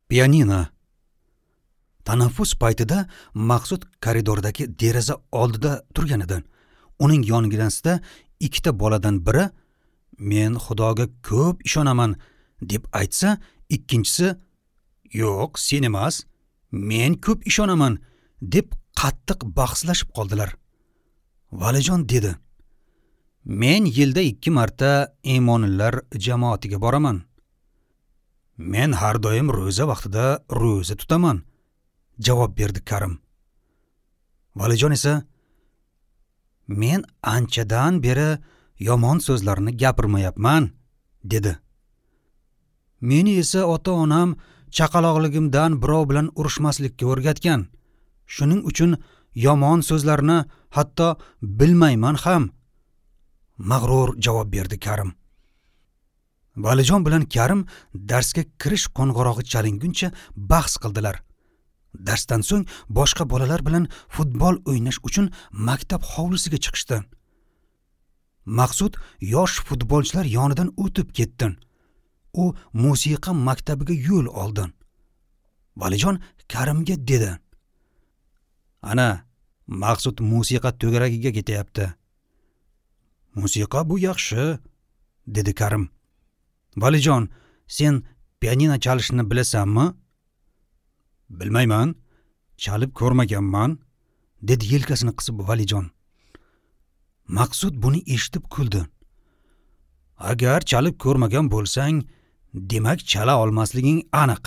Pianino. Tanaffus paytida Maqsud koridordagi deraza oldida turgan edi. Uning yoniginasida ikkita boladan biri "Men Xudoga ko'p ishonaman" deb aytsa, ikkinchisi "Yo'q, sen emas, men ko'p ishonaman" deb qattiq bahslashib qoldilar. Valijon dedi: "Men yilda 2 marta iymonlilar jamoatiga boraman. Men har doim ro'za vaqtida ro'za tutaman", javob berdi Karim. Valijon esa: "Men anchadan beri yomon so'zlarni gapirmayapman", dedi. "Meni esa ota-onam chaqaloqligimdan birov bilan urushmaslikka o'rgatgan. Shuning uchun yomon so'zlarni hatto bilmayman ham", mag'rur javob berdi Karim. Valijon bilan Karim darsga kirish qo'ng'irog'i chalinguncha bahs qildilar. Darsdan so'ng boshqa bolalar bilan futbol o'ynash uchun maktab hovlisiga chiqishdi. Maqsud yosh futbolchilar yonidan o'tib ketdi. U musiqa maktabiga yo'l oldi. Valijon Karimga dedi: "Ana, Maqsud musiqa to'garagiga ketyapti." "Musiqa bu yaxshi", dedi Karim. "Valijon, sen pianino chalishni bilasanmi?" "Bilmayman, chalib ko'rmaganman", dedi yelkasini qisib Valijon. Maqsud buni eshitib kuldi. "Agar chalib ko'rmagan bo'lsang, demak chala olmasliging aniq."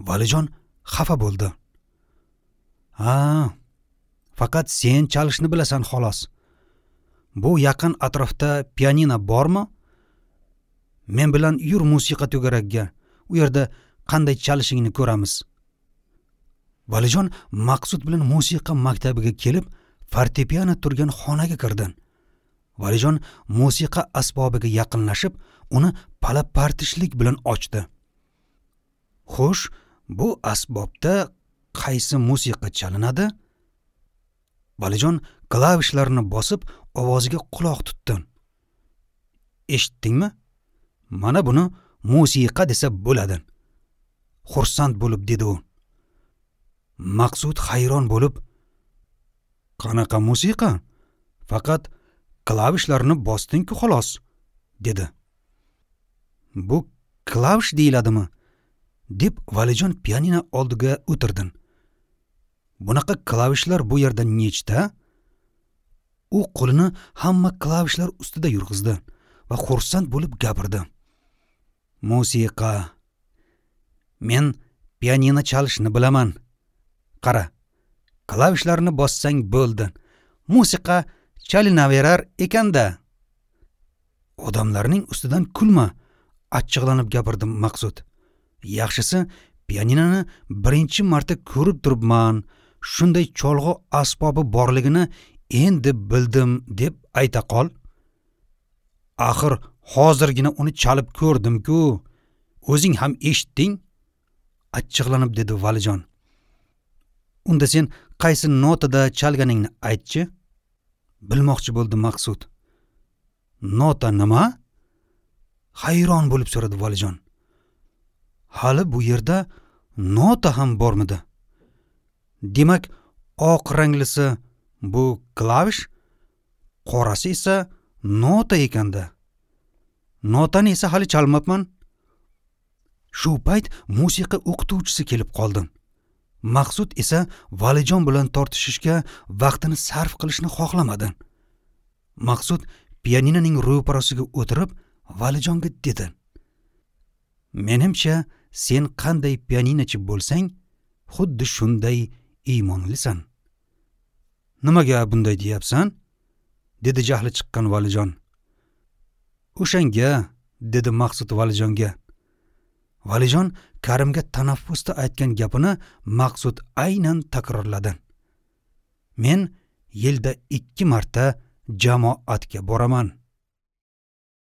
Valijon xafa bo'ldi. "Ha, faqat sen chalishni bilasan xolos. Bu yaqin atrofda pianino bormi? Men bilan yur musiqa to'garagiga. U yerda qanday chalishingni ko'ramiz." Valijon Maqsud bilan musiqa maktabiga kelib, fortepiano turgan xonaga kirdi. Valijon musiqa asbobiga yaqinlashib, uni pala-partishlik bilan ochdi. "Xo'sh, bu asbobda qaysi musiqa chalinadi?" Valijon klavishlarni bosib, ovoziga quloq tutdi. "Eshitdingmi? Mana buni musiqa desa bo'ladi", xursand bo'lib dedi u. Maqsud hayron bo'lib: "Qanaqa musiqa? Faqat klavishlarni bosding-ku xolos", dedi. "Bu klavish deyiladimi?" deb Valijon pianino oldiga o'tirdi. "Bunaqa klavishlar bu yerda nechta?" U qo'lini hamma klavishlar ustida yurg'izdi va xursand bo'lib gapirdi. "Musiqa. Men pianino chalishni bilaman. Qara, klavishlarni bossang bo'ldi. Musiqa chalinaverar ekanda." "Odamlarning ustidan kulma", achchiqlanib gapirdi Maqsud. "Yaxshisi, pianinoni birinchi marta ko'rib turibman. Shunday cholg'u asbobi borligini endi bildim deb ayta qol. Axir hozirgina uni chalib ko'rdim-ku. O'zing ham eshitding", achchiqlanib dedi Valijon. "Unda sen qaysi notada chalganingni aytchi", bilmoqchi bo'ldi Maqsud. "Nota nima?" hayron bo'lib so'radi Valijon. "Hali bu yerda nota ham bormidi? Demak, oq ranglisi bu klavish, qorasi esa nota ekanda. Notani esa hali chalmabman." Shu payt musiqa o'qituvchisi kelib qoldi. Maqsud esa Valijon bilan tortishishga vaqtini sarf qilishni xohlamadi. Maqsud pianinoning ro'parasiga o'tirib, Valijonga dedi: "Menimcha, sen qanday pianinochi bo'lsang, xuddi shunday iymonlisan." "Nimaga bunday deyapsan?" dedi jahli chiqqan Valijon. "O'shanga", dedi Maqsud Valijonga. Valijon Karimga tanaffusda aytgan gapini Maqsud aynan takrorladi. "Men yilda 2 marta jamoatga boraman."